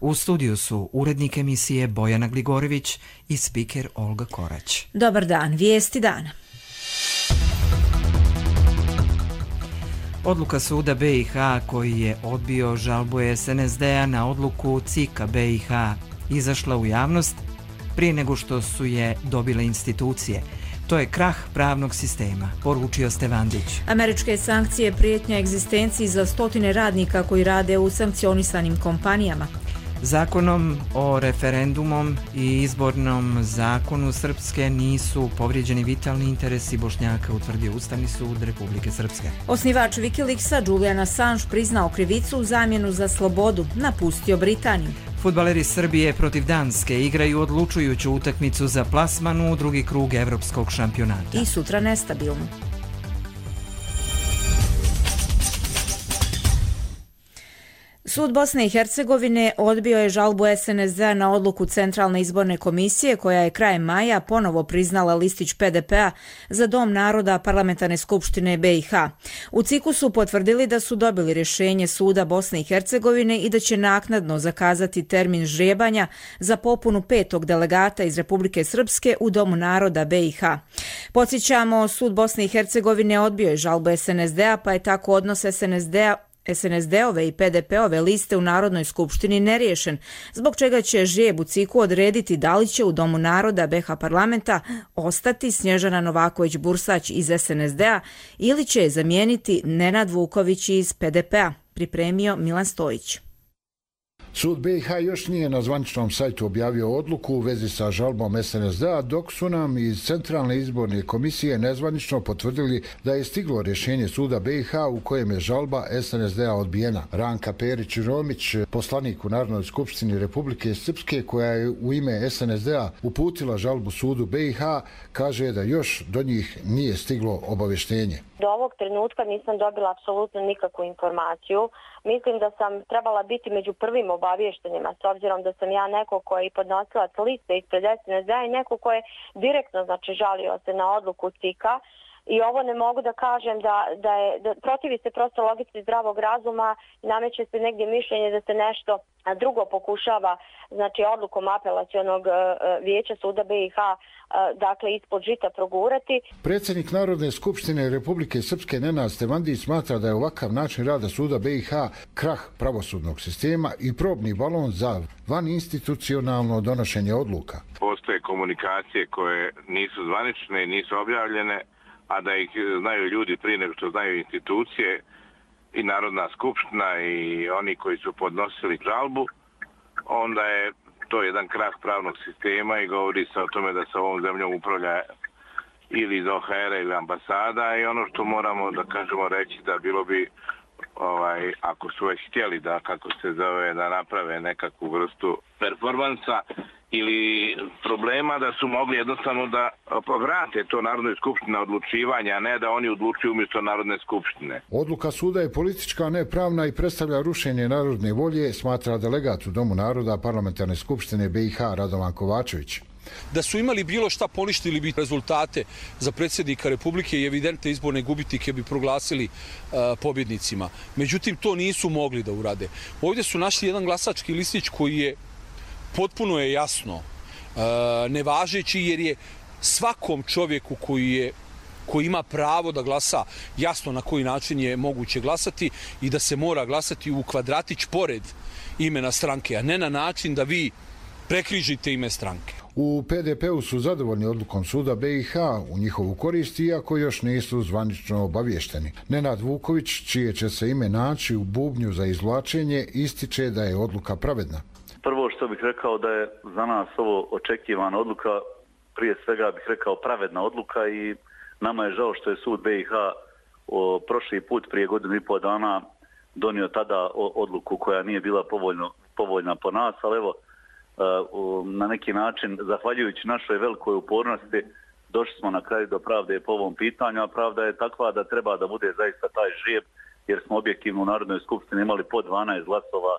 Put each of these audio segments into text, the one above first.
U studiju su urednik emisije Bojana Gligorović i spiker Olga Korać. Dobar dan, vijesti dana. Odluka suda BiH koji je odbio žalbu SNSD-a na odluku CIK-a BiH izašla u javnost prije nego što su je dobile institucije. To je krah pravnog sistema, poručio Stevandić. Američke sankcije prijetnja egzistenciji za stotine radnika koji rade u sankcionisanim kompanijama. Zakonom o referendumom i izbornom zakonu Srpske nisu povrijeđeni vitalni interesi Bošnjaka, utvrdio Ustavni sud Republike Srpske. Osnivač Wikileaksa Julian Assange priznao krivicu u zamjenu za slobodu, napustio Britaniju. Fudbaleri Srbije protiv Danske igraju odlučujuću utakmicu za plasman u drugi krug evropskog šampionata. I sutra nestabilno. Sud Bosne i Hercegovine odbio je žalbu SNSD na odluku Centralne izborne komisije koja je krajem maja ponovo priznala listić PDP-a za Dom naroda Parlamentarne skupštine BiH. U CIK-u su potvrdili da su dobili rješenje suda Bosne i Hercegovine i da će naknadno zakazati termin ždrijebanja za popunu 5. delegata iz Republike Srpske u Domu naroda BiH. Podsjećamo, sud Bosne i Hercegovine odbio je žalbu SNSD-a, pa je tako odnos SNSD-ove i PDP-ove liste u Narodnoj skupštini neriješen, zbog čega će ždrijeb u CIK-u odrediti da li će u Domu naroda BiH parlamenta ostati Snježana Novaković-Bursać iz SNSD-a ili će je zamijeniti Nenad Vuković iz PDP-a, pripremio Milan Stojić. Sud BiH još nije na zvaničnom sajtu objavio odluku u vezi sa žalbom SNSD-a, dok su nam iz Centralne izborne komisije nezvanično potvrdili da je stiglo rješenje suda BiH u kojem je žalba SNSD-a odbijena. Ranka Perić-Romić, poslanik u Narodnoj skupštini Republike Srpske, koja je u ime SNSD-a uputila žalbu sudu BiH, kaže da još do njih nije stiglo obavještenje. Do ovog trenutka nisam dobila apsolutno nikakvu informaciju. Mislim da sam trebala biti među prvim obavještenjima, s obzirom da sam ja neko ko je podnosilac liste ispred SNSD-a i neko ko je direktno žalio se na odluku CIK-a. I ovo ne mogu da kažem da protivi se prosto logici zdravog razuma i nameće se negdje mišljenje da se nešto drugo pokušava, odlukom apelacionog vijeća suda BiH, ispod žita progurati. Predsjednik Narodne skupštine Republike Srpske Nenad Stevandić smatra da je ovakav način rada suda BiH krah pravosudnog sistema i probni balon za vaninstitucionalno donošenje odluka. Postoje komunikacije koje nisu zvanične i nisu objavljene, a da ih znaju ljudi prije nego što znaju institucije i Narodna skupština i oni koji su podnosili žalbu, onda je to jedan krah pravnog sistema i govori se o tome da se ovom zemljom upravlja ili iz OHR-a ili ambasada i ono što moramo da kažemo reći da bilo bi, ako su već htjeli da, kako se zove, da naprave nekakvu vrstu performansa ili problema, da su mogli jednostavno da vrate to Narodnoj skupštini na odlučivanje, a ne da oni odlučuju umjesto Narodne skupštine. Odluka suda je politička, a ne pravna i predstavlja rušenje narodne volje, smatra delegat u Domu naroda Parlamentarne skupštine BiH Radovan Kovačević. Da su imali bilo šta poništili bi rezultate za predsjednika Republike i evidentne izborne gubitnike bi proglasili pobjednicima. Međutim, to nisu mogli da urade. Ovdje su našli jedan glasački listić koji je potpuno je jasno nevažeći, jer je svakom čovjeku koji ima pravo da glasa jasno na koji način je moguće glasati i da se mora glasati u kvadratić pored imena stranke, a ne na način da vi prekrižite ime stranke. U PDP-u su zadovoljni odlukom suda BiH u njihovu korist, iako još nisu zvanično obavješteni. Nenad Vuković, čije će se ime naći u bubnju za izvlačenje, ističe da je odluka pravedna. Prvo što bih rekao da je za nas ovo očekivana odluka, prije svega bih rekao pravedna odluka i nama je žao što je sud BiH prošli put prije godinu i pol dana donio tada odluku koja nije bila povoljna po nas, ali evo, na neki način, zahvaljujući našoj velikoj upornosti, došli smo na kraju do pravde po ovom pitanju, a pravda je takva da treba da bude zaista taj žrijeb, jer smo objektivno u Narodnoj skupštini imali po 12 glasova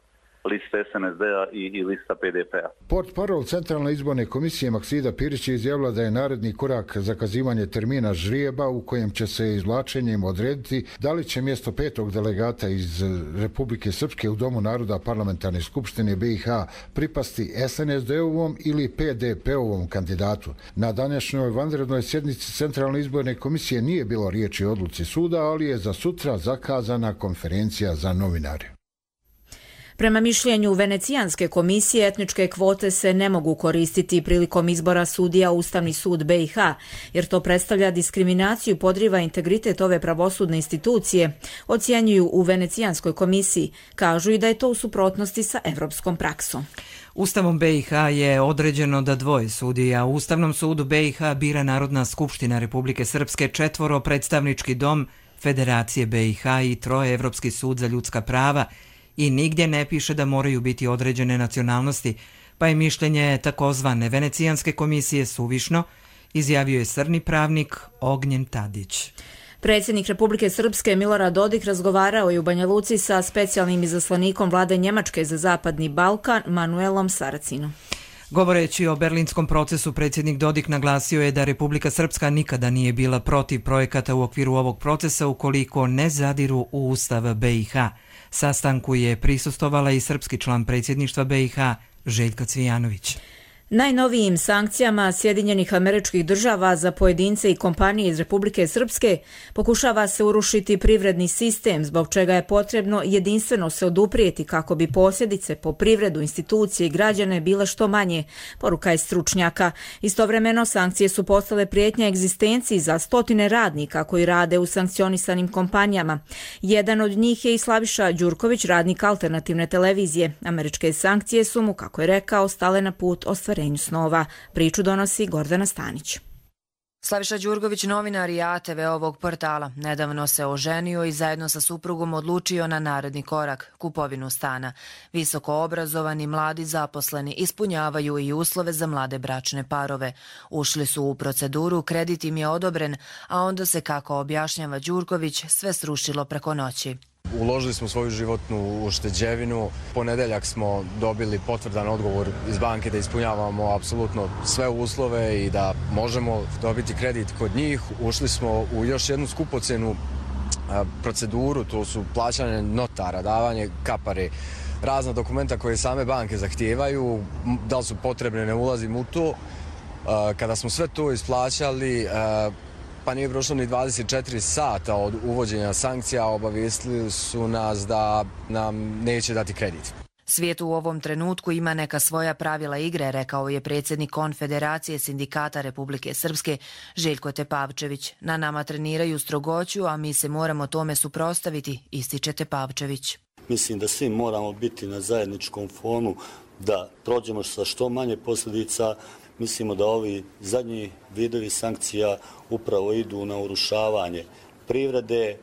lista SNSD-a i lista PDP-a. Portparol Centralne izborne komisije Maksida Pirić je izjavila da je naredni korak zakazivanje termina žrijeba u kojem će se izvlačenjem odrediti da li će mjesto 5. delegata iz Republike Srpske u Domu naroda Parlamentarne skupštine BiH pripasti SNSD-ovom ili PDP-ovom kandidatu. Na današnjoj vanrednoj sjednici Centralne izborne komisije nije bilo riječi o odluci suda, ali je za sutra zakazana konferencija za novinare. Prema mišljenju Venecijanske komisije, etničke kvote se ne mogu koristiti prilikom izbora sudija u Ustavni sud BiH, jer to predstavlja diskriminaciju i podriva integritet ove pravosudne institucije, ocjenjuju u Venecijanskoj komisiji. Kažu i da je to u suprotnosti sa evropskom praksom. Ustavom BiH je određeno da 2 sudija u Ustavnom sudu BiH bira Narodna skupština Republike Srpske, 4 predstavnički dom Federacije BiH i 3 Evropski sud za ljudska prava, i nigdje ne piše da moraju biti određene nacionalnosti, pa je mišljenje takozvane Venecijanske komisije suvišno, izjavio je srni pravnik Ognjen Tadić. Predsjednik Republike Srpske Milorad Dodik razgovarao je u Banja Luci sa specijalnim izaslanikom vlade Njemačke za Zapadni Balkan Manuelom Saracinom. Govoreći o berlinskom procesu, predsjednik Dodik naglasio je da Republika Srpska nikada nije bila protiv projekata u okviru ovog procesa ukoliko ne zadiru u Ustav BiH. Sastanku je prisustvovala i srpski član predsjedništva BiH Željka Cvijanović. Najnovijim sankcijama Sjedinjenih Američkih Država za pojedince i kompanije iz Republike Srpske pokušava se urušiti privredni sistem, zbog čega je potrebno jedinstveno se oduprijeti kako bi posljedice po privredu, institucije i građane bile što manje, poruka je stručnjaka. Istovremeno, sankcije su postale prijetnja egzistenciji za stotine radnika koji rade u sankcionisanim kompanijama. Jedan od njih je i Slaviša Đurković, radnik alternativne televizije. Američke sankcije su mu, kako je rekao, stale na put ostvarenju snova. Priču donosi Gordana Stanić. Slaviša Đurković, novinar i ATV ovog portala, nedavno se oženio i zajedno sa suprugom odlučio na naredni korak, kupovinu stana. Visoko obrazovani mladi zaposleni ispunjavaju i uslove za mlade bračne parove. Ušli su u proceduru, kredit im je odobren, a onda se, kako objašnjava Đurković, sve srušilo preko noći. Uložili smo svoju životnu ušteđevinu. Ponedeljak smo dobili potvrdan odgovor iz banke da ispunjavamo apsolutno sve uslove i da možemo dobiti kredit kod njih. Ušli smo u još jednu skupocjenu proceduru, to su plaćanje notara, davanje kapare, razna dokumenta koje same banke zahtijevaju. Da li su potrebne, ne ulazim u to. Kada smo sve to isplaćali, pa nije prošlo ni 24 sata od uvođenja sankcija, obavijestili su nas da nam neće dati kredit. Svijet u ovom trenutku ima neka svoja pravila igre, rekao je predsjednik Konfederacije sindikata Republike Srpske Željko Tepavčević. Na nama treniraju strogoću, a mi se moramo tome suprotstaviti, ističe Tepavčević. Mislim da svi moramo biti na zajedničkom fonu, da prođemo sa što manje posljedica. Mislimo da ovi zadnji vidovi sankcija upravo idu na urušavanje privrede,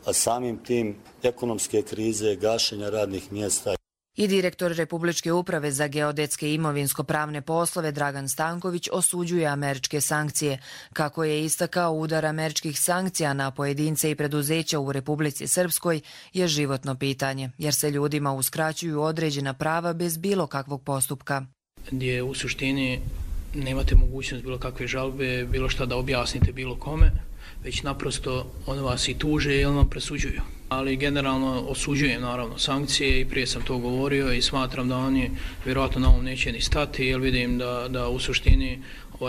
a samim tim ekonomske krize, gašenja radnih mjesta. I direktor Republičke uprave za geodetske i imovinsko-pravne poslove Dragan Stanković osuđuje američke sankcije. Kako je istakao, udar američkih sankcija na pojedince i preduzeća u Republici Srpskoj je životno pitanje, jer se ljudima uskraćuju određena prava bez bilo kakvog postupka. Gdje u suštini nemate mogućnost bilo kakve žalbe, bilo šta da objasnite bilo kome, već naprosto od vas i tuže ili vam presuđuju. Ali generalno osuđujem naravno sankcije i prije sam to govorio i smatram da oni vjerojatno na ovom neće ni stati, jer vidim da u suštini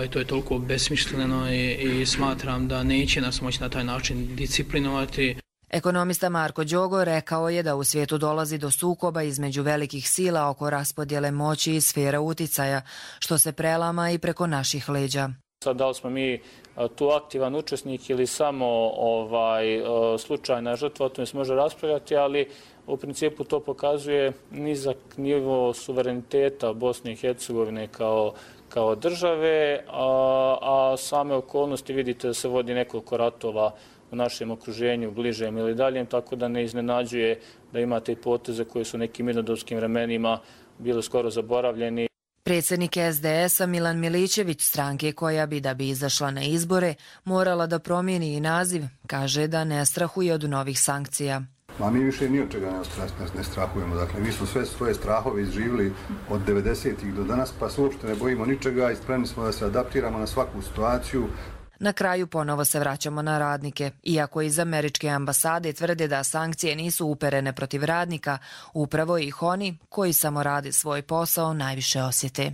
to je toliko besmišljeno i smatram da neće nas moći na taj način disciplinovati. Ekonomista Marko Đogo rekao je da u svijetu dolazi do sukoba između velikih sila oko raspodjele moći i sfera uticaja, što se prelama i preko naših leđa. Sad, da li smo mi tu aktivan učesnik ili samo slučajna žrtva, o tome se može raspravljati, ali u principu to pokazuje nizak nivo suvereniteta Bosne i Hercegovine kao države, a same okolnosti vidite da se vodi nekoliko ratova u našem okruženju, bližem ili daljem, tako da ne iznenađuje da imate i poteze koje su nekim mirnodopskim vremenima bili skoro zaboravljeni. Predsjednik SDS-a Milan Milićević, stranke koja bi, da bi izašla na izbore, morala da promijeni i naziv, kaže da ne strahuje od novih sankcija. A mi više ni od čega ne strahujemo. Dakle, mi smo sve svoje strahove izživjeli od 90-ih do danas, pa se uopšte ne bojimo ničega i spremni smo da se adaptiramo na svaku situaciju. Na kraju ponovo se vraćamo na radnike. Iako iz američke ambasade tvrde da sankcije nisu uperene protiv radnika, upravo ih oni koji samo rade svoj posao najviše osjete.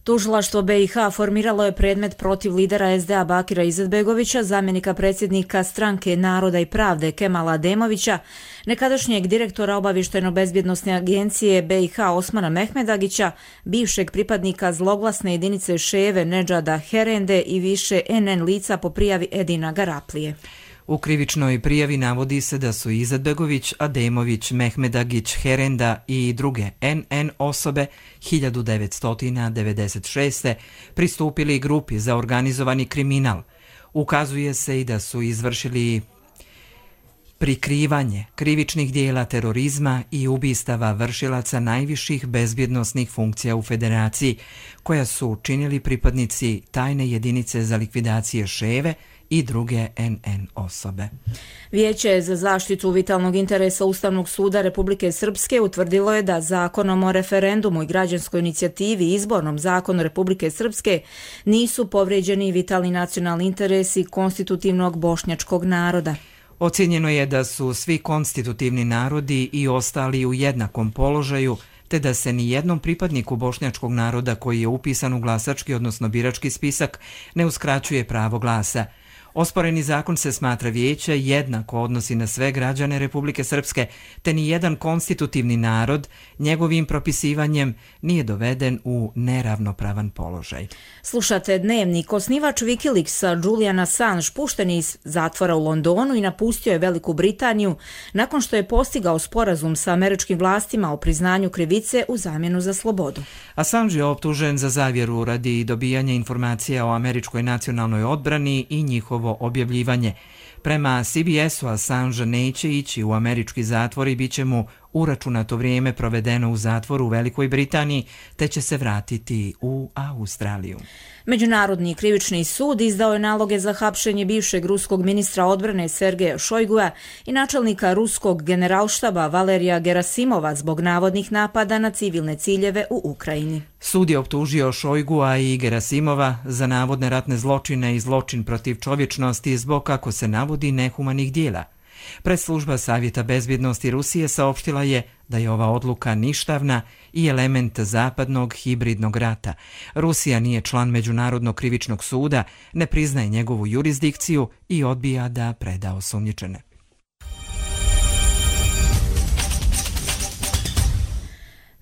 Tužilaštvo BiH formiralo je predmet protiv lidera SDA Bakira Izetbegovića, zamjenika predsjednika Stranke Naroda i pravde Kemala Ademovića, nekadašnjeg direktora obavještajno-bezbjednosne agencije BiH Osmana Mehmedagića, bivšeg pripadnika zloglasne jedinice Ševe Nedžada Herende i više NN lica po prijavi Edina Garaplije. U krivičnoj prijavi navodi se da su Izetbegović, Ademović, Mehmedagić, Herenda i druge NN osobe 1996. pristupili grupi za organizovani kriminal. Ukazuje se i da su izvršili prikrivanje krivičnih dijela terorizma i ubistava vršilaca najviših bezbjednosnih funkcija u Federaciji, koja su činili pripadnici tajne jedinice za likvidacije Ševe i druge NN osobe. Vijeće za zaštitu vitalnog interesa Ustavnog suda Republike Srpske utvrdilo je da Zakonom o referendumu i građanskoj inicijativi i Izbornom zakonu Republike Srpske nisu povrijeđeni vitalni nacionalni interesi konstitutivnog bošnjačkog naroda. Ocijenjeno je da su svi konstitutivni narodi i ostali u jednakom položaju, te da se ni jednom pripadniku bošnjačkog naroda koji je upisan u glasački, odnosno birački spisak, ne uskraćuje pravo glasa. Osporeni zakon se smatra vijeće jednako odnosi na sve građane Republike Srpske, te ni jedan konstitutivni narod njegovim propisivanjem nije doveden u neravnopravan položaj. Slušate Dnevnik. Osnivač Wikileaksa Julian Assange pušten je iz zatvora u Londonu i napustio je Veliku Britaniju nakon što je postigao sporazum sa američkim vlastima o priznanju krivice u zamjenu za slobodu. Assange je optužen za zavjeru radi dobijanja informacija o američkoj nacionalnoj odbrani i njihovo objavljivanje. Prema CBS-u Assange neće ići u američki zatvor i bit će mu uračunato vrijeme provedeno u zatvoru u Velikoj Britaniji, te će se vratiti u Australiju. Međunarodni krivični sud izdao je naloge za hapšenje bivšeg ruskog ministra odbrane Sergeja Šojguja i načelnika ruskog generalštaba Valerija Gerasimova zbog navodnih napada na civilne ciljeve u Ukrajini. Sud je optužio Šojgua i Gerasimova za navodne ratne zločine i zločin protiv čovječnosti zbog, kako se navodi, nehumanih dijela. Presslužba Savjeta bezbjednosti Rusije saopštila je da je ova odluka ništavna i element zapadnog hibridnog rata. Rusija nije član Međunarodnog krivičnog suda, ne priznaje njegovu jurisdikciju i odbija da preda osumnjičene.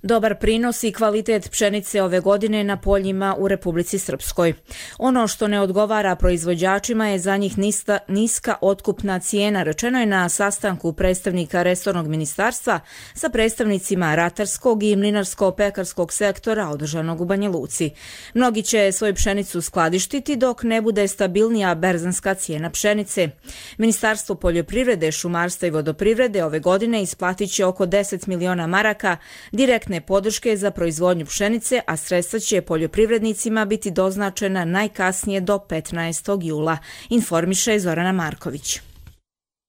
Dobar prinos i kvalitet pšenice ove godine na poljima u Republici Srpskoj. Ono što ne odgovara proizvođačima je za njih niska otkupna cijena, rečeno je na sastanku predstavnika resornog ministarstva sa predstavnicima ratarskog i mlinarsko-pekarskog sektora održanog u Banja Luci. Mnogi će svoju pšenicu skladištiti dok ne bude stabilnija berzanska cijena pšenice. Ministarstvo poljoprivrede, šumarstva i vodoprivrede ove godine isplatit će oko 10 miliona maraka direktne podrške za proizvodnju pšenice, a sredstva će poljoprivrednicima biti doznačena najkasnije do 15. jula, informiše Zorana Marković.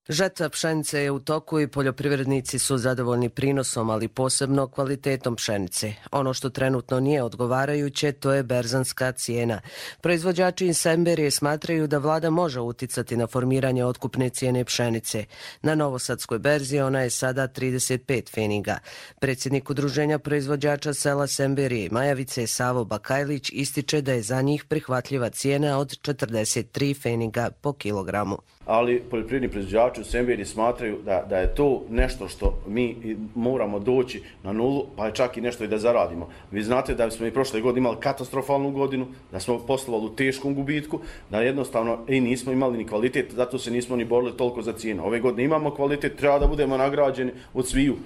Žetva pšenice je u toku i poljoprivrednici su zadovoljni prinosom, ali posebno kvalitetom pšenice. Ono što trenutno nije odgovarajuće, to je berzanska cijena. Proizvođači iz Semberije smatraju da vlada može uticati na formiranje otkupne cijene pšenice. Na novosadskoj berzi ona je sada 35 feniga. Predsjednik Udruženja proizvođača sela Semberije, Majavice Savo Bakajlić, ističe da je za njih prihvatljiva cijena od 43 feniga po kilogramu. Ali poljoprivredni proizvođači u Semberiji smatraju da je to nešto što mi moramo doći na nulu, pa čak i nešto i da zaradimo. Vi znate da smo i prošle godine imali katastrofalnu godinu, da smo poslovali u teškom gubitku, da jednostavno i nismo imali ni kvalitet, zato se nismo ni borili toliko za cijenu. Ove godine imamo kvalitet, treba da budemo nagrađeni od sviju.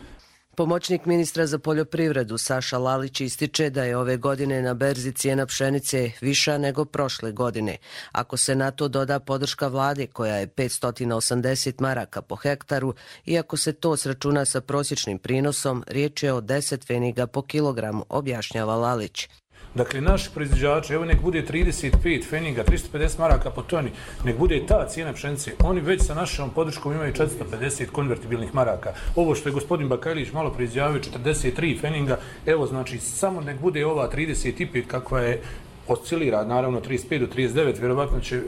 Pomoćnik ministra za poljoprivredu Saša Lalić ističe da je ove godine na berzi cijena pšenice viša nego prošle godine. Ako se na to doda podrška vlade koja je 580 maraka po hektaru i ako se to sračuna sa prosječnim prinosom, riječ je o 10 feniga po kilogramu, objašnjava Lalić. Dakle, naši proizvođači, evo nek bude 35 feninga, 350 maraka po toni, nek bude ta cijena pšenice. Oni već sa našom podrškom imaju 450 konvertibilnih maraka. Ovo što je gospodin Bakajlić malo prije izjavio, 43 feninga, evo znači samo nek bude ova 35 kakva je oscilira, naravno 35 do 39, vjerovatno će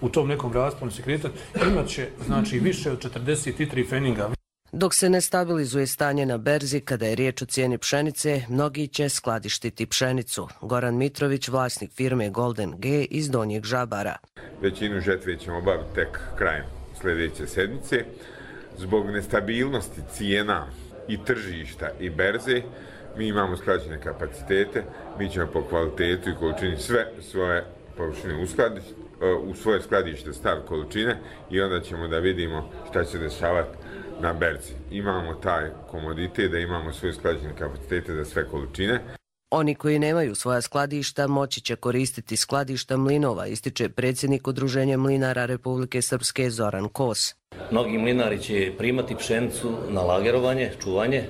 u tom nekom rasponu se kretati, imat će znači više od 43 feninga. Dok se ne stabilizuje stanje na berzi kada je riječ o cijeni pšenice, mnogi će skladištiti pšenicu. Goran Mitrović, vlasnik firme Golden G iz Donjeg Žabara. Većinu žetve ćemo obaviti tek krajem sljedeće sedmice. Zbog nestabilnosti cijena i tržišta i berze, mi imamo skladištene kapacitete, mi ćemo po kvalitetu i količini sve svoje površine u svoje skladište staviti količine i onda ćemo da vidimo šta će se dešavati na berzi. Imamo taj komoditet da imamo svoje skladištene kapacitete za sve količine. Oni koji nemaju svoja skladišta moći će koristiti skladišta mlinova, ističe predsjednik Udruženja mlinara Republike Srpske Zoran Kos. Mnogi mlinari će primati pšenicu na lagerovanje, čuvanje,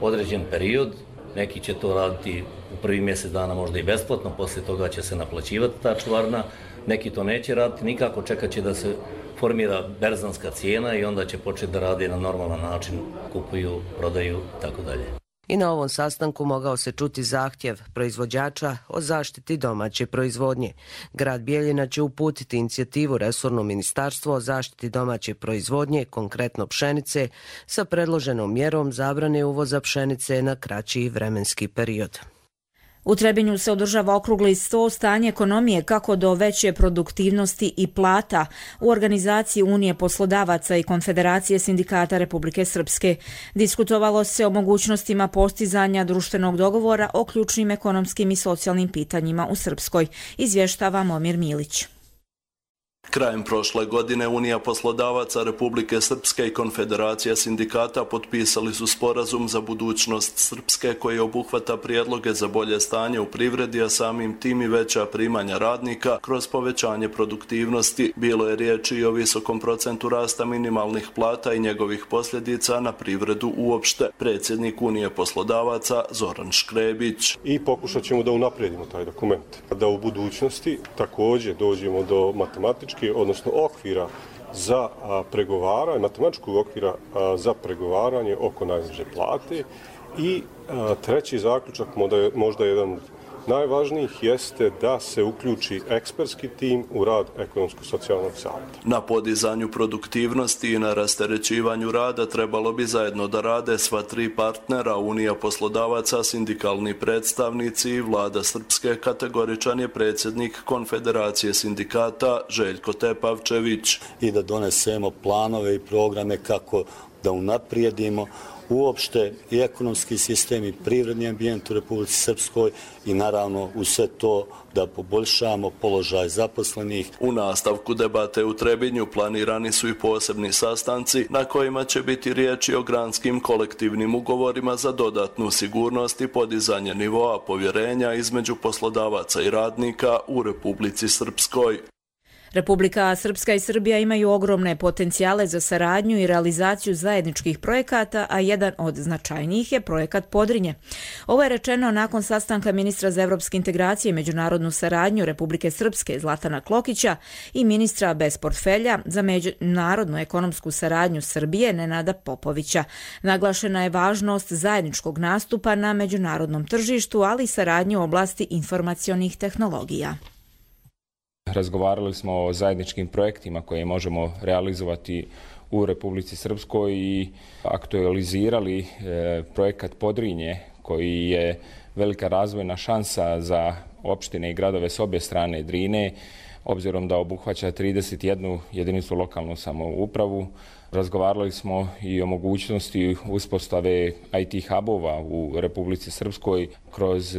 određen period. Neki će to raditi u prvi mjesec dana možda i besplatno, poslije toga će se naplaćivati ta čuvarna. Neki to neće raditi, nikako čekat će da se formira berzanska cijena i onda će početi da radi na normalan način, kupuju, prodaju i tako dalje. I na ovom sastanku mogao se čuti zahtjev proizvođača o zaštiti domaće proizvodnje. Grad Bijeljina će uputiti inicijativu resornom ministarstvu o zaštiti domaće proizvodnje, konkretno pšenice, sa predloženom mjerom zabrane uvoza pšenice na kraći vremenski period. U Trebinju se održava okrugli sto stanje ekonomije kako do veće produktivnosti i plata u organizaciji Unije poslodavaca i Konfederacije sindikata Republike Srpske. Diskutovalo se o mogućnostima postizanja društvenog dogovora o ključnim ekonomskim i socijalnim pitanjima u Srpskoj, izvještava Momir Milić. Krajem prošle godine Unija poslodavaca Republike Srpske i Konfederacija sindikata potpisali su sporazum za budućnost Srpske koji obuhvata prijedloge za bolje stanje u privredi, a samim tim i veća primanja radnika kroz povećanje produktivnosti. Bilo je riječi i o visokom procentu rasta minimalnih plata i njegovih posljedica na privredu uopšte. Predsjednik Unije poslodavaca Zoran Škrebić. I pokušat ćemo da unaprijedimo taj dokument. Da u budućnosti također dođemo do matematičke, odnosno okvira za pregovaranje, matematičkog okvira za pregovaranje oko najniže plate. I treći zaključak, možda jedan od najvažnijih, jeste da se uključi ekspertski tim u rad ekonomsko-socijalnog savjeta. Na podizanju produktivnosti i na rasterećivanju rada trebalo bi zajedno da rade sva tri partnera, Unija poslodavaca, sindikalni predstavnici i vlada Srpske, kategoričan je predsjednik Konfederacije sindikata Željko Tepavčević. I da donesemo planove i programe kako da unaprijedimo uopšte i ekonomski sistem i privredni ambijent u Republici Srpskoj i naravno u sve to da poboljšamo položaj zaposlenih. U nastavku debate u Trebinju planirani su i posebni sastanci na kojima će biti riječi o granskim kolektivnim ugovorima za dodatnu sigurnost i podizanje nivoa povjerenja između poslodavaca i radnika u Republici Srpskoj. Republika Srpska i Srbija imaju ogromne potencijale za saradnju i realizaciju zajedničkih projekata, a jedan od značajnijih je projekat Podrinje. Ovo je rečeno nakon sastanka ministra za evropske integracije i međunarodnu saradnju Republike Srpske Zlatana Klokića i ministra bez portfelja za međunarodnu ekonomsku saradnju Srbije Nenada Popovića. Naglašena je važnost zajedničkog nastupa na međunarodnom tržištu, ali i saradnju u oblasti informacionih tehnologija. Razgovarali smo o zajedničkim projektima koje možemo realizovati u Republici Srpskoj i aktualizirali projekat Podrinje koji je velika razvojna šansa za opštine i gradove s obje strane Drine, obzirom da obuhvaća 31 jedinicu lokalnu samoupravu. Razgovarali smo i o mogućnosti uspostave IT hubova u Republici Srpskoj kroz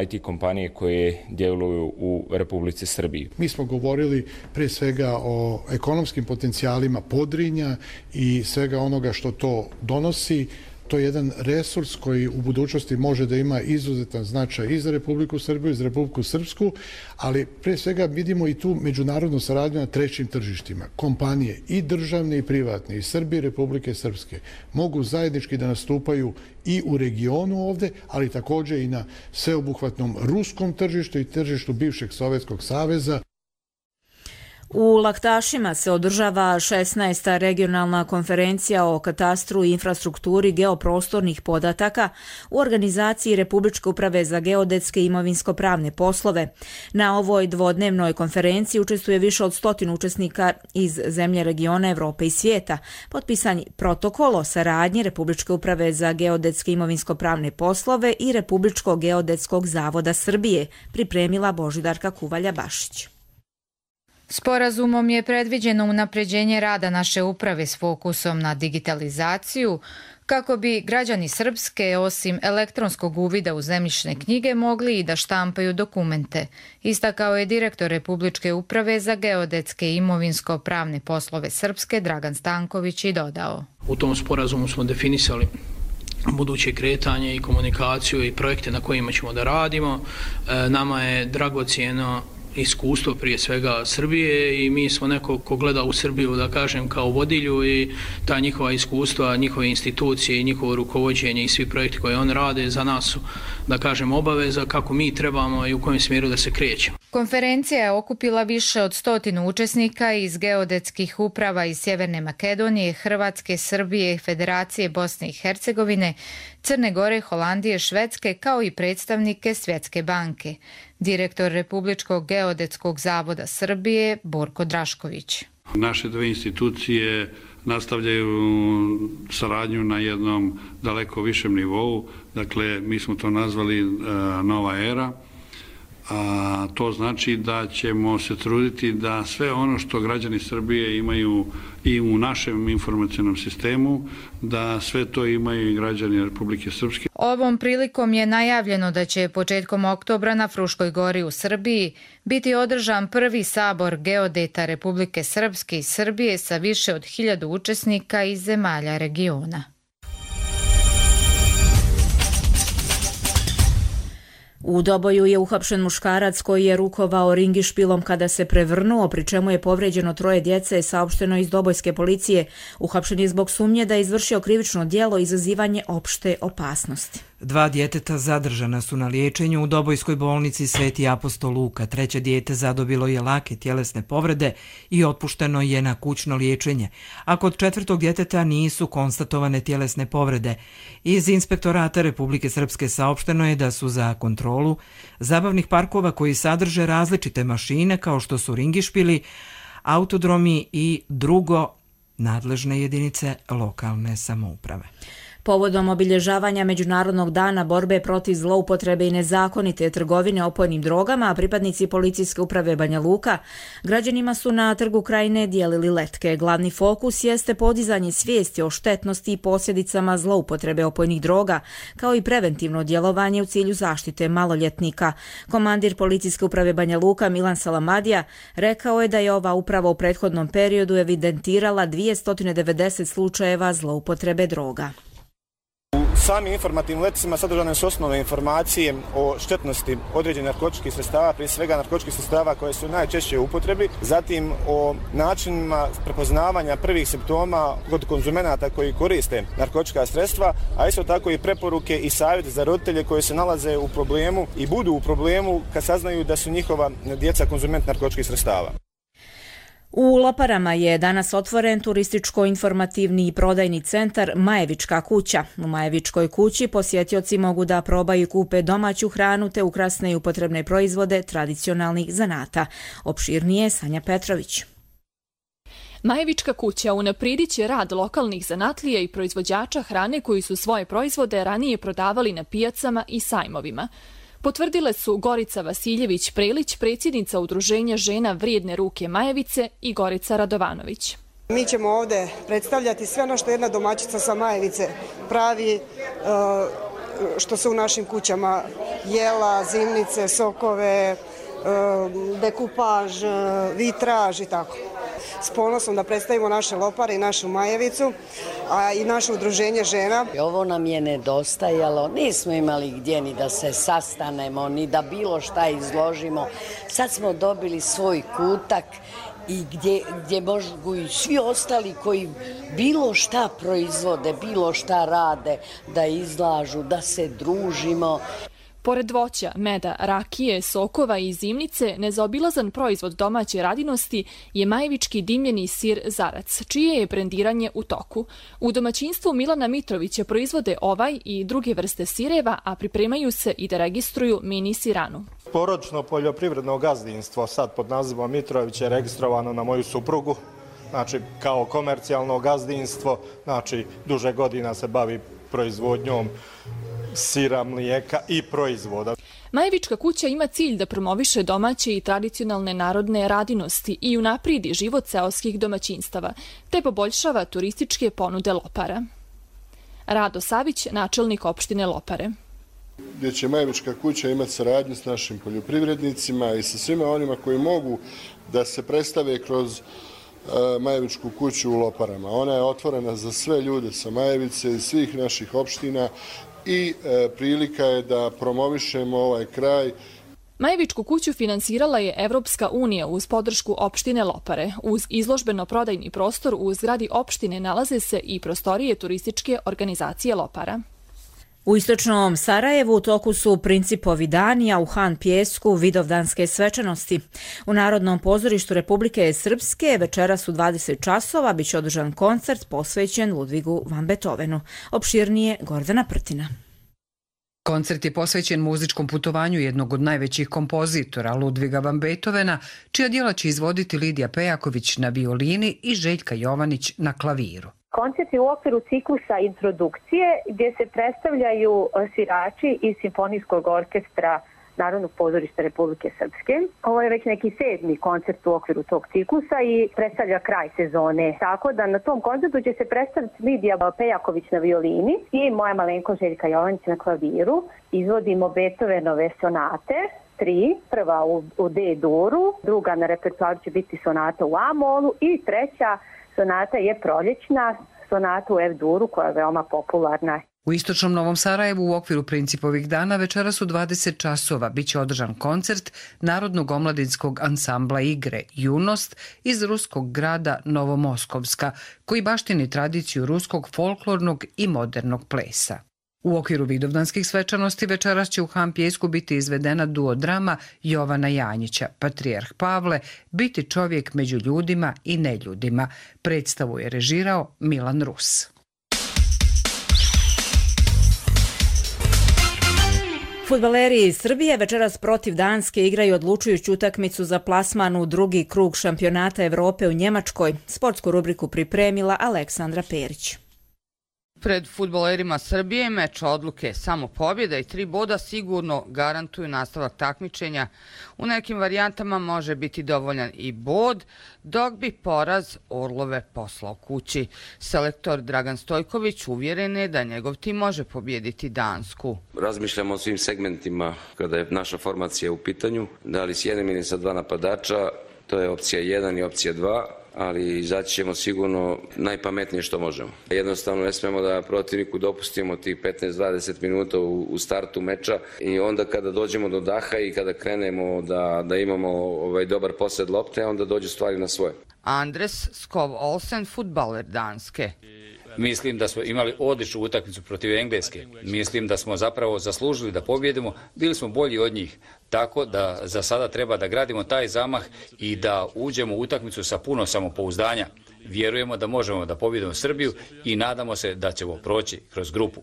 IT kompanije koje djeluju u Republici Srbiji. Mi smo govorili prije svega o ekonomskim potencijalima Podrinja i svega onoga što to donosi. To je jedan resurs koji u budućnosti može da ima izuzetan značaj i za Republiku Srbiju i za Republiku Srpsku, ali pre svega vidimo i tu međunarodnu saradnju na trećim tržištima. Kompanije i državne i privatne iz Srbije i Republike Srpske mogu zajednički da nastupaju i u regionu ovde, ali također i na sveobuhvatnom ruskom tržištu i tržištu bivšeg Sovjetskog saveza. U Laktašima se održava 16. regionalna konferencija o katastru i infrastrukturi geoprostornih podataka u organizaciji Republičke uprave za geodetske i imovinsko-pravne poslove. Na ovoj dvodnevnoj konferenciji učestvuje više od 100 učesnika iz zemlje regiona, Evrope i svijeta. Potpisan protokol o saradnji Republičke uprave za geodetske i imovinsko-pravne poslove i Republičkog geodetskog zavoda Srbije, pripremila Božidarka Kuvalja-Bašić. Sporazumom je predviđeno unapređenje rada naše uprave s fokusom na digitalizaciju, kako bi građani Srpske, osim elektronskog uvida u zemljišne knjige, mogli i da štampaju dokumente, istakao je direktor Republičke uprave za geodetske i imovinsko-pravne poslove Srpske, Dragan Stanković, i dodao. U tom sporazumu smo definisali buduće kretanje i komunikaciju i projekte na kojima ćemo da radimo. Nama je dragocjeno iskustvo prije svega Srbije i mi smo neko ko gleda u Srbiju, da kažem, kao vodilju, i ta njihova iskustva, njihove institucije i njihovo rukovođenje i svi projekti koje on rade za nas su, da kažem, obaveza kako mi trebamo i u kojem smjeru da se krećemo. Konferencija je okupila više od 100 učesnika iz geodetskih uprava iz Sjeverne Makedonije, Hrvatske, Srbije, Federacije Bosne i Hercegovine, Crne Gore, Holandije, Švedske, kao i predstavnike Svjetske banke. Direktor Republičkog geodetskog zavoda Srbije, Borko Drašković. Naše dve institucije nastavljaju saradnju na jednom daleko višem nivou, dakle mi smo to nazvali nova era. A to znači da ćemo se truditi da sve ono što građani Srbije imaju i u našem informacionom sistemu, da sve to imaju i građani Republike Srpske. Ovom prilikom je najavljeno da će početkom oktobra na Fruškoj gori u Srbiji biti održan prvi sabor geodeta Republike Srpske i Srbije sa više od 1000 učesnika iz zemalja regiona. U Doboju je uhapšen muškarac koji je rukovao ringišpilom kada se prevrnuo, pri čemu je povređeno 3 djece, saopšteno iz dobojske policije. Uhapšen je zbog sumnje da je izvršio krivično djelo izazivanje opšte opasnosti. 2 djeteta zadržana su na liječenju u Dobojskoj bolnici Sveti apostol Luka. 3. dijete zadobilo je lake tjelesne povrede i otpušteno je na kućno liječenje, a kod 4. djeteta nisu konstatovane tjelesne povrede. Iz Inspektorata Republike Srpske saopšteno je da su za kontrolu zabavnih parkova koji sadrže različite mašine kao što su ringišpili, autodromi i drugo nadležne jedinice lokalne samouprave. Povodom obilježavanja Međunarodnog dana borbe protiv zloupotrebe i nezakonite trgovine opojnim drogama, pripadnici policijske uprave Banja Luka građanima su na Trgu Krajine dijelili letke. Glavni fokus jeste podizanje svijesti o štetnosti i posljedicama zloupotrebe opojnih droga, kao i preventivno djelovanje u cilju zaštite maloljetnika. Komandir policijske uprave Banja Luka Milan Salamadija rekao je da je ova uprava u prethodnom periodu evidentirala 290 slučajeva zloupotrebe droga. U samim informativnim letcima sadržane su osnovne informacije o štetnosti određenih narkotičkih sredstava, prije svega narkotičkih sredstava koje su najčešće u upotrebi, zatim o načinima prepoznavanja prvih simptoma kod konzumenata koji koriste narkotička sredstva, a isto tako i preporuke i savjeti za roditelje koji se nalaze u problemu i budu u problemu kad saznaju da su njihova djeca konzument narkotičkih sredstava. U Loparama je danas otvoren turističko-informativni i prodajni centar Majevička kuća. U Majevičkoj kući posjetioci mogu da probaju i kupe domaću hranu te ukrasne i upotrebne proizvode tradicionalnih zanata. Opširnije Sanja Petrović. Majevička kuća unaprijedit će rad lokalnih zanatlija i proizvođača hrane koji su svoje proizvode ranije prodavali na pijacama i sajmovima. Potvrdile su Gorica Vasiljević-Prelić, predsjednica Udruženja žena Vrijedne ruke Majevice, i Gorica Radovanović. Mi ćemo ovdje predstavljati sve ono što jedna domaćica sa Majevice pravi, što se u našim kućama jela, zimnice, sokove, dekupaž, vitraž i tako. S ponosom da predstavimo naše Lopare i našu Majevicu, a i naše udruženje žena. Ovo nam je nedostajalo, nismo imali gdje ni da se sastanemo, ni da bilo šta izložimo. Sad smo dobili svoj kutak i gdje mogu i svi ostali koji bilo šta proizvode, bilo šta rade, da izlažu, da se družimo. Pored voća, meda, rakije, sokova i zimnice, nezaobilazan proizvod domaće radinosti je majevički dimljeni sir Zarac, čije je brendiranje u toku. U domaćinstvu Milana Mitrovića proizvode ovaj i druge vrste sireva, a pripremaju se i da registruju mini siranu. Porodično poljoprivredno gazdinstvo sad pod nazivom Mitrović je registrovano na moju suprugu, znači kao komercijalno gazdinstvo, znači duže godina se bavi proizvodnjom sira, mlijeka i proizvoda. Majevička kuća ima cilj da promoviše domaće i tradicionalne narodne radinosti i unapredi život seoskih domaćinstava, te poboljšava turističke ponude Lopara. Rado Savić, načelnik opštine Lopare. Gdje će Majevička kuća imati saradnju s našim poljoprivrednicima i sa svima onima koji mogu da se predstave kroz Majevičku kuću u Loparama. Ona je otvorena za sve ljude sa Majevice i svih naših opština i prilika je da promovišemo ovaj kraj. Majevičku kuću finansirala je Evropska unija uz podršku opštine Lopare. Uz izložbeno-prodajni prostor u zgradi opštine nalaze se i prostorije turističke organizacije Lopara. U istočnom Sarajevu u toku su Principovi dani, a u Han Pijesku Vidovdanske svečanosti. U Narodnom pozorištu Republike Srpske večeras u 20 časova biće održan koncert posvećen Ludvigu van Beethovenu. Opširnije Gordana Prtina. Koncert je posvećen muzičkom putovanju jednog od najvećih kompozitora, Ludviga van Beethovena, čija djela će izvoditi Lidija Pejaković na violini i Željka Jovanić na klaviru. Koncert je u okviru ciklusa introdukcije gdje se predstavljaju svirači iz Simfonijskog orkestra Narodnog pozorišta Republike Srpske. Ovo je već neki 7. koncert u okviru tog ciklusa i predstavlja kraj sezone. Tako da na tom koncertu će se predstaviti Lidija Pejaković na violini i moja malenko Željka Jovanić na klaviru. Izvodimo Beethovenove sonate. 3, prva u D-duru, druga na repertoaru će biti sonata u A-molu i treća sonata je proljećna sonata u F-duru koja je veoma popularna. U istočnom Novom Sarajevu u okviru Principovih dana večeras u 20 časova biće održan koncert Narodnog omladinskog ansambla igre Junost iz ruskog grada Novomoskovska, koji baštini tradiciju ruskog folklornog i modernog plesa. U okviru Vidovdanskih svečanosti večeras će u Han Pijesku biti izvedena duodrama Jovana Janjića, Patrijarh Pavle, biti čovjek među ljudima i neljudima. Predstavu je režirao Milan Rus. Fudbaleri iz Srbije večeras protiv Danske igraju odlučujuću utakmicu za plasman u drugi krug šampionata Evrope u Njemačkoj. Sportsku rubriku pripremila Aleksandra Perić. Pred fudbalerima Srbije meč odluke, samo pobjeda i 3 boda sigurno garantuju nastavak takmičenja. U nekim varijantama može biti dovoljan i bod, dok bi poraz Orlove poslao kući. Selektor Dragan Stojković uvjeren je da njegov tim može pobijediti Dansku. Razmišljamo o svim segmentima kada je naša formacija u pitanju. Da li s jednim ili sa 2 napadača, to je opcija 1 i opcija 2. Ali izaći ćemo sigurno najpametnije što možemo. Jednostavno ne smemo da protivniku dopustimo tih 15-20 minuta u startu meča i onda kada dođemo do daha i kada krenemo da imamo dobar posjed lopte, onda dođu stvari na svoje. Andres Skov Olsen, fudbaler Danske. Mislim da smo imali odličnu utakmicu protiv Engleske. Mislim da smo zapravo zaslužili da pobjedimo. Bili smo bolji od njih. Tako da za sada treba da gradimo taj zamah i da uđemo u utakmicu sa puno samopouzdanja. Vjerujemo da možemo da pobjedimo Srbiju i nadamo se da ćemo proći kroz grupu.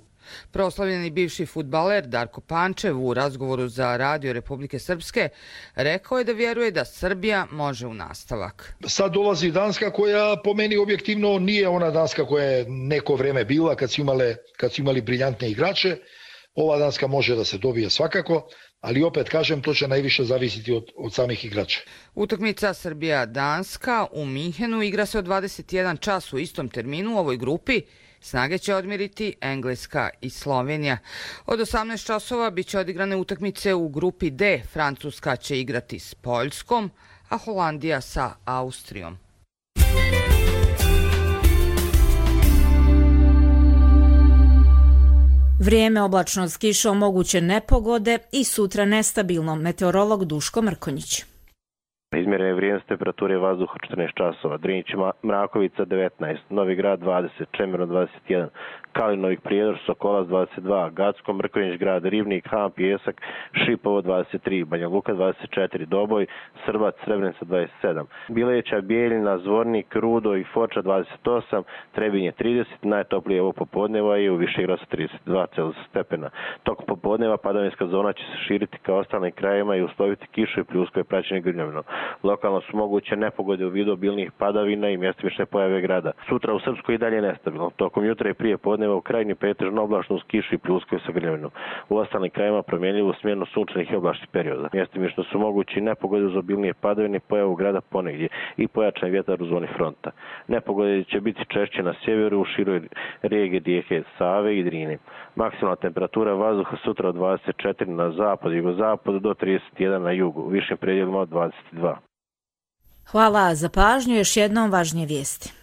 Proslavljeni bivši fudbaler Darko Pančev u razgovoru za Radio Republike Srpske rekao je da vjeruje da Srbija može u nastavak. Sad dolazi Danska koja po meni objektivno nije ona Danska koja je neko vrijeme bila kad su imali briljantne igrače. Ova Danska može da se dobije svakako, ali opet kažem to će najviše zavisiti od samih igrača. Utakmica Srbija-Danska u Minhenu igra se od 21 čas u istom terminu u ovoj grupi. Snage će odmiriti Engleska i Slovenija. Od 18 časova bit će odigrane utakmice u grupi D. Francuska će igrati s Poljskom, a Holandija sa Austrijom. Vrijeme oblačno s kišom, moguće nepogode i sutra nestabilno. Meteorolog Duško Mrkonjić. Izmjerene vrijednost temperature vazduha 14 časova, Drinić Mrakovica 19, Novi Grad 20, Čemerno 21, Kalinovik Prijedor, Sokolac 22, Gacko, Mrkonjić Grad, Rivnik, Han, Pijesak, Šipovo 23, Banja Luka 24, Doboj, Srbac, Srebrenica 27, Bileća, Bijeljina, Zvornik, Rudo i Foča 28, Trebinje 30, najtoplije ovo popodneva je u Višegradu 32 stepena. Tokom popodneva padavinska zona će se širiti ka ostalim krajevima i usloviti kišu i pljusko je praćenje grmljavinom. Lokalno su moguće nepogode u vidu obilnih padavina i mjestimične pojave grada. Sutra u Srpskoj i dalje nestabilno. Tokom jutra i prije podneva u krajnji pretežno oblačno uz kišu i pljuskove sa grmljavinom. U ostalim krajevima promjenljivo smjerno sunčanih i oblačnih perioda. Mjestimično su mogući nepogode uz obilnije padavine i pojavu grada ponegdje i pojačan vjetar u zoni fronta. Nepogode će biti češće na sjeveru u široj regiji rijeke Save i Drine. Maksimalna temperatura vazduha sutra od 24 na zapad i jugozapadu do 31 na jugu, u višim predjelima od 22. Hvala za pažnju, još jednom važnije vijesti.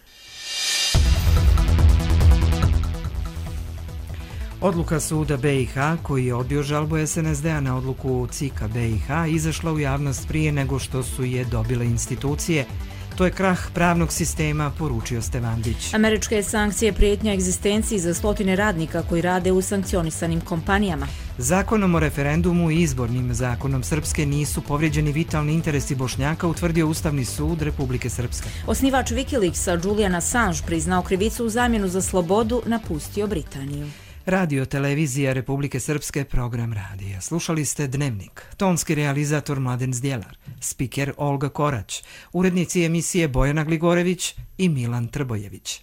Odluka suda BiH, koji je odbio žalbu SNSD-a na odluku CIK-a BiH, izašla u javnost prije nego što su je dobile institucije. To je krah pravnog sistema, poručio Stevandić. Američke sankcije prijetnja egzistenciji za stotine radnika koji rade u sankcionisanim kompanijama. Zakonom o referendumu i izbornim zakonom Srpske nisu povrijeđeni vitalni interesi Bošnjaka, utvrdio Ustavni sud Republike Srpske. Osnivač Wikileaksa Julian Assange priznao krivicu u zamjenu za slobodu, napustio Britaniju. Radio televizija Republike Srpske, program radija. Slušali ste Dnevnik. Tonski realizator Mladen Zdjelar, spiker Olga Korać, urednici emisije Bojana Gligorević i Milan Trbojević.